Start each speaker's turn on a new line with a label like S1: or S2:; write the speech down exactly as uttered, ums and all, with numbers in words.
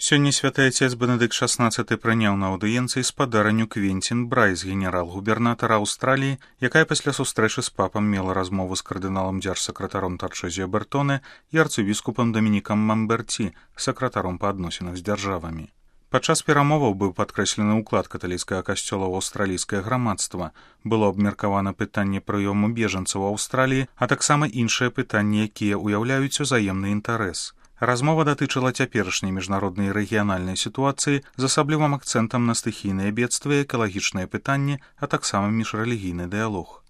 S1: Сёння святы отец Бенедыкт шаснаццаты прыняў на аўдыенцыі спадарню Квенцін Брайс, генерал-губернатара Аўстраліі, якая пасля сустрэчы з папам мела размову з кардыналам дзяржсакратаром Тарчэзіо Бертоне і арцыбіскупам Дамінікам Мамберці, сакратаром па адносінах з дзяржавамі. Падчас перамоваў быў падкрэслены ўклад каталіцкага касцёла ў аўстралійскае грамадства, было абмеркавана пытанне прыёму бежанцаў у Аўстраліі, а таксама іншыя пытанні, якія ўяўляюць узаемны інтарэс. Размова датычыла цяперашняй міжнароднай і рэгіянальнай сітуацыі з асаблівым акцэнтам на стыхійныя бедствы, экалагічныя пытанні, а таксама міжрэлігійны дыялог.